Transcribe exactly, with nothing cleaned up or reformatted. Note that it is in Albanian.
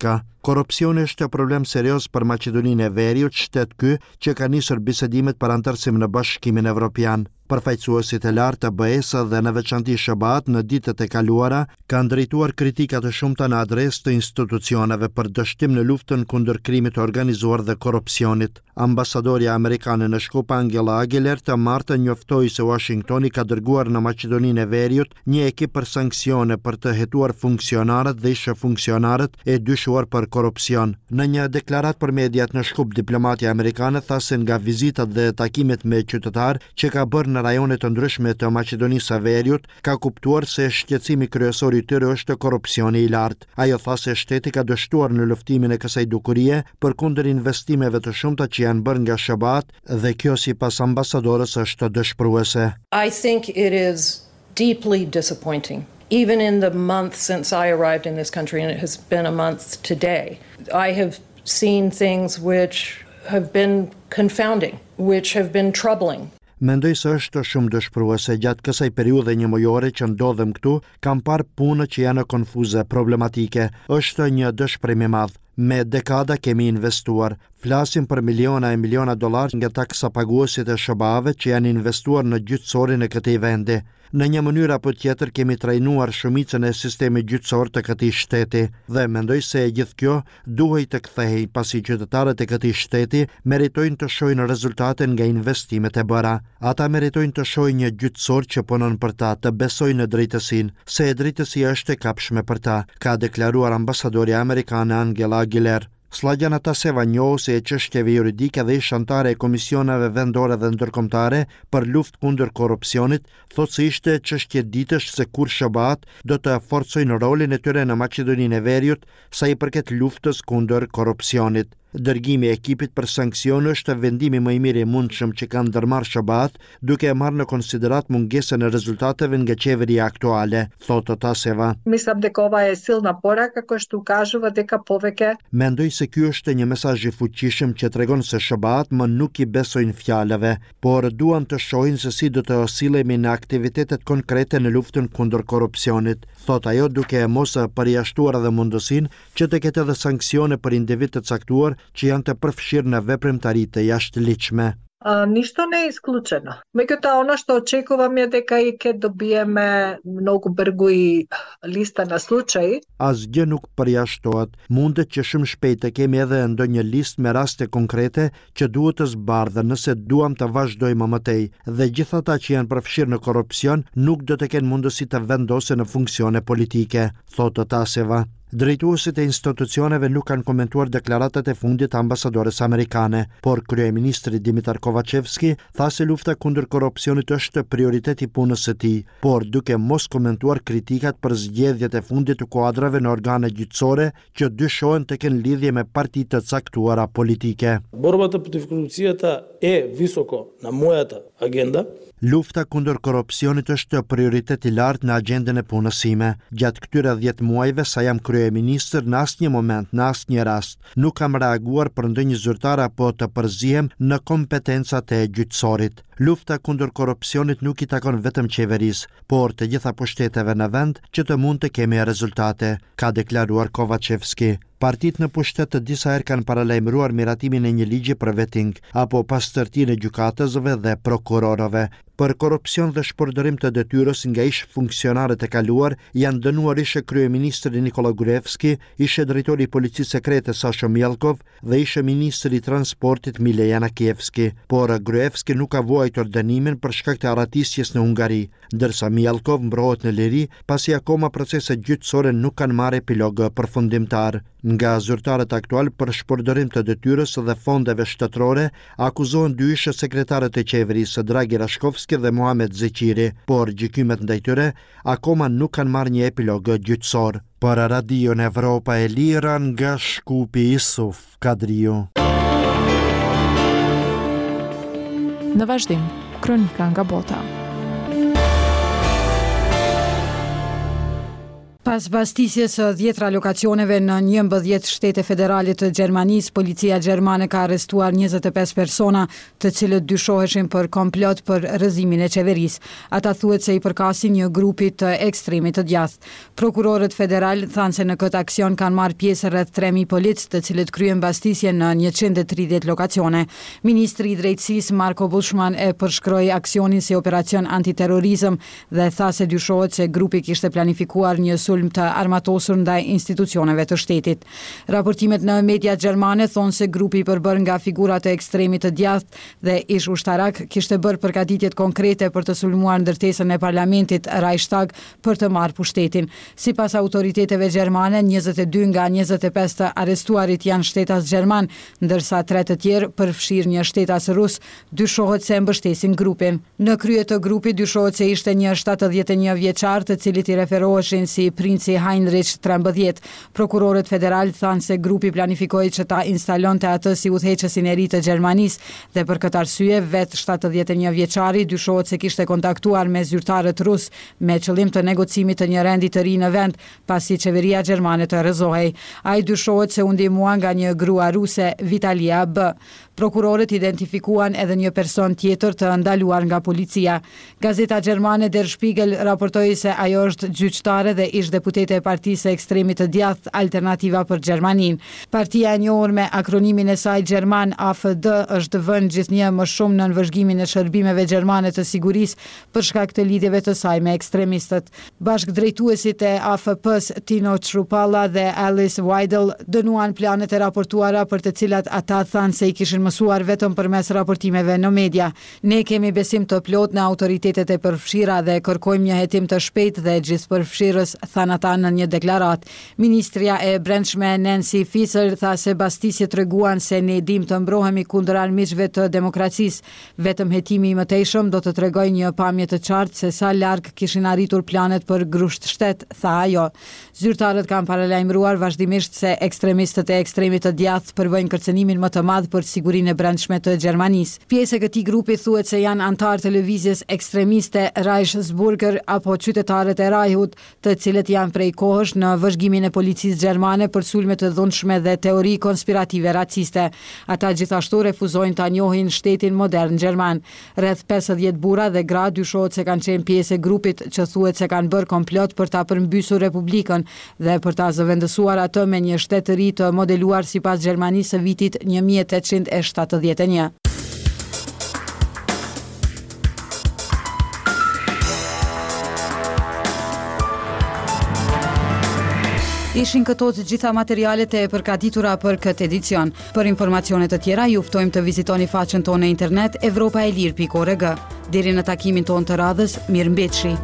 Ka. Korrupsioni është problem serioz për Maqedoninë e Veriut, shtet ky që ka nisur bisedimet për anëtarësim në Bashkimin Evropian. Përfaqësuesit e lartë të B E-së dhe në veçanti S H B A-t në ditët e kaluara kanë drejtuar kritika të shumta në adresë të institucioneve për dështim në luftën kundër krimit të organizuar dhe korrupsionit. Ambasadorja amerikane në Shkup, Angela Aguilar, të martën njoftoi se Washingtoni ka dërguar në Maqedoninë e Veriut një ekip për sanksione për të hetuar funksionarët dhe ish funksionarët e dyshuar për korrupsion. Në një deklaratë për mediat në Shkup, diplomatja amerikane tha se nga vizitat dhe takimet me qytetarë që ka bërë në rajone të ndryshme të Maqedonisë së Veriut, ka kuptuar se shqetësimi kryesor i tyre është korrupsioni i lartë. Ajo tha se shteti ka dështuar në luftimin e kësaj dukurie përkundër investimeve të shumta që janë bërë nga S H B A-t dhe kjo, sipas ambasadores, është dëshpëruese. I think it is deeply disappointing. Even in the month since I arrived in this country, and it has been a month today, I have seen things which have been confounding, which have been troubling. Mendoj se është shumë dëshpëruese. Gjatë kësaj periudhe një mujore që ndodhem këtu, kam parë punë që janë konfuze, problematike. Është një dëshpërim i madh. Me dekada kemi investuar. Flasim për miliona e miliona dollar nga taksa paguesit e S H B A-ve që janë investuar në gjyqësorin e këtij vendi. Në një mënyrë apo tjetër kemi trajnuar shumicën e sistemit gjyqësor të këtij shteti dhe mendoj se e gjithë kjo duhej të kthehej, pasi qytetarët e këtij shteti meritojnë të shohin rezultate nga investimet e bëra. Ata meritojnë të shohin një gjyqësor që punon për ta, të besojnë në drejtësinë, se drejtësia është e kapshme për ta, ka deklaruar ambasadorja amerikane Angela Aguilar. Sllagjana Taseva, njohëse e çështjeve juridike dhe ish anëtare e komisioneve vendore dhe ndërkombëtare për luftë kundër korrupsionit, thotë se ishte çështje ditësh se kur S H B A-t do të forcojnë rolin e tyre në Maqedoninë e Veriut sa i përket luftës kundër korrupsionit. Dërgimi i ekipit për sanksione është vendimi më i mirë i mundshëm që kanë ndërmarrë S H B A-t, duke e marrë në konsideratë mungesën e rezultateve nga qeveria aktuale, thotë Taseva. Мислам дека ова е силна порака која што укажува дека повеќе Mendoj se ky është një mesazh i fuqishëm që tregon se S H B A-t më nuk i besojnë fjalëve, por duan të shohin se si do të sillemi në aktivitetet konkrete në luftën kundër korrupsionit, thotë ajo, duke mos përjashtuar edhe mundësinë që të ketë edhe sanksione për individ të caktuar që janë të përfshirë në veprimtari të jashtëligjshme. А, ништо не е исклучено. Меѓутоа, она што очекувам е дека и ќе добиеме многу бргу и листа на случаи. Asgjë nuk përjashtohet. Mundet që shumë shpejt të kemi edhe ndonjë listë me raste konkrete që duhet të zbardhen nëse duam të vazhdojmë më tej. Dhe gjithë ata që janë përfshirë në korrupsion nuk do të kenë mundësi të vendosen në funksione politike, thotë Taseva. Drejtuesit e institucioneve nuk kanë komentuar deklaratat e fundit të ambasadores amerikane, por kryeministri Dimitar Kovačevski tha se lufta kundër korrupsionit është prioritet i punës së tij, por duke mos komentuar kritikat për zgjedhjet e fundit të kuadrave në organe gjyqësore që dyshohen të kenë lidhje me parti të caktuara politike. Борбата против корупцијата е високо на мојата агенда. Lufta kundër korrupsionit është prioritet i lartë në agjendën e punës sime. Gjatë këtyre dhjetë muajve sa jam kryeministër, në asnjë moment, në asnjë rast, nuk kam reaguar për ndonjë zyrtar apo të përzihem në kompetencat e gjyqësorit. Lufta kundër korrupsionit nuk i takon vetëm qeverisë, por të gjitha pushteteve në vend që të mund të kemi rezultate, ka deklaruar Kovačevski. Partitë në pushtet të disa herë kanë paralajmëruar miratimin e një ligji për vetting apo pastërtinë e gjykatësve dhe prokurorëve. Për korrupsion dhe shpërdorim të detyrës nga ish funksionarët e kaluar janë dënuar ish kryeministri Nikola Gruevski, ish drejtori i policisë sekrete Sasho Mijalkov dhe ish ministri i transportit Mile Janakievski. Por Gruevski nuk ka vuajtur dënimin për shkak të arratisjes në Hungari, ndërsa Mijalkov mbrohet në liri pasi akoma proceset gjyqësore nuk kanë marrë epilog përfundimtar. Nga zyrtarët aktual për shpërdorim të detyrës dhe fondeve shtetërore akuzohen dy ish sekretarët e qeverisë, Dragi Rashkovski dhe Muhamet Zeqiri, por gjykimet ndaj tyre akoma nuk kanë marrë një epilog gjyqësor. Për Radion Evropa e Lira nga Shkupi, Isuf Kadriu. Në vazhdim, kronika nga bota. Pas bastisjes së dhjetra lokacioneve në njëmbëdhjetë shtete federale të Gjermanisë, policia gjermane ka arrestuar njëzet e pesë persona, të cilët dyshoheshin për komplot për rrëzimin e qeverisë. Ata thuhet se i përkasin një grupi të ekstremit të djathtë. Prokurorët federal thanë se në këtë aksion kanë marrë pjesë rreth tre mijë policë, të cilët kryen bastisje në njëqind e tridhjetë lokacione. Ministri i Drejtësisë Marco Buschmann e përshkroi aksionin si operacion antiterrorizëm dhe tha se dyshohet se grupi kishte planifikuar një sulm të armatosur ndaj institucioneve të shtetit. Raportimet në mediat gjermane thonë se grupi i përbërë nga figurat e ekstremit të djathtë dhe ish ushtarak kishte bërë përgatitjet konkrete për të sulmuar ndërtesën e parlamentit Reichstag për të marrë pushtetin. Sipas autoriteteve gjermane, njëzet e dy nga njëzet e pesë të arrestuarit janë shtetas gjerman, ndërsa tre të tjerë, përfshirë një shtetas rus, dyshohet se mbështesin grupin. Në krye të grupit dyshohet se ishte një shtatëdhjetë e një vjeçar, të cilit i referoheshin si princi Heinrich trembëdhjetë. Prokurorët federal thanë se grupi planifikoi që ta instalonte atë si udhëheqësin e ri të Gjermanisë dhe për këtë arsye vetë shtatëdhjetë e një vjeçari dyshohet se kishte kontaktuar me zyrtarët rus me qëllim të negocimit të një rendi të ri në vend, pasi qeveria gjermane të rrëzohej. Ai dyshohet se u ndihmua nga një grua ruse, Vitalia B. Prokurorët identifikuan edhe një person tjetër të ndaluar nga policia. Gazeta gjermane Der Spiegel raportoi se ajo është gjyqtare dhe ish deputete e partisë së ekstremit të djathtë Alternativa për Gjermaninë. Partia e njohur me akronimin e saj gjerman A F D është vënë gjithnjë më shumë nën vëzhgimin e shërbimeve gjermane të sigurisë për shkak të lidhjeve të saj me ekstremistët. Bashkëdrejtuesit e A F P-s Tino Chrupalla dhe Alice Weidel dënuan planet e raportuara, për të cilat ata thanë se i kishin mësuar vetëm përmes raportimeve në media. "Ne kemi besim të plot në autoritetet e përfshira dhe kërkojmë një hetim të shpejtë dhe gjithëpërfshirës", thanë ata në një deklaratë. Ministrja e Brendshme Nancy Faeser tha se bastisjet treguan se ne dim të mbrohemi kundër armiqve të demokracisë. "Vetëm hetimi i mëtejshëm do të tregojë një pamje të qartë se sa larg kishin arritur planet për grusht shtet", tha ajo. Zyrtarët kanë paralajmëruar vazhdimisht se ekstremistët e ekstremit të djathtë përbëjnë kërcënimin më të madh për sigurinë e brendshme të Gjermanisë. Pjesë e këtij grupi thuhet se janë anëtarë të lëvizjes ekstremiste Reichsbürger apo qytetarët e Reichut, të cilët janë prej kohësh në vëzhgimin e policisë gjermane për sulme të dhunshme dhe teori konspirative raciste. Ata gjithashtu refuzojnë ta njohin shtetin modern gjerman. Rreth pesëdhjetë burra dhe gra dyshohet se kanë qenë pjesë e grupit që thuhet se kanë bërë komplot për ta përmbysur republikën dhe për ta zëvendësuar atë me një shtet të ri të modeluar sipas Gjermanisë së vitit një mijë e tetëqind e shtatëdhjetë e një. Ishin këto të gjitha materialet e përgatitura për këtë edicion. Për informacione të tjera, ju ftojmë të vizitoni faqen tonë në internet evropaelir pikë org. Deri në takimin tonë të radhës, mirë mbetshi.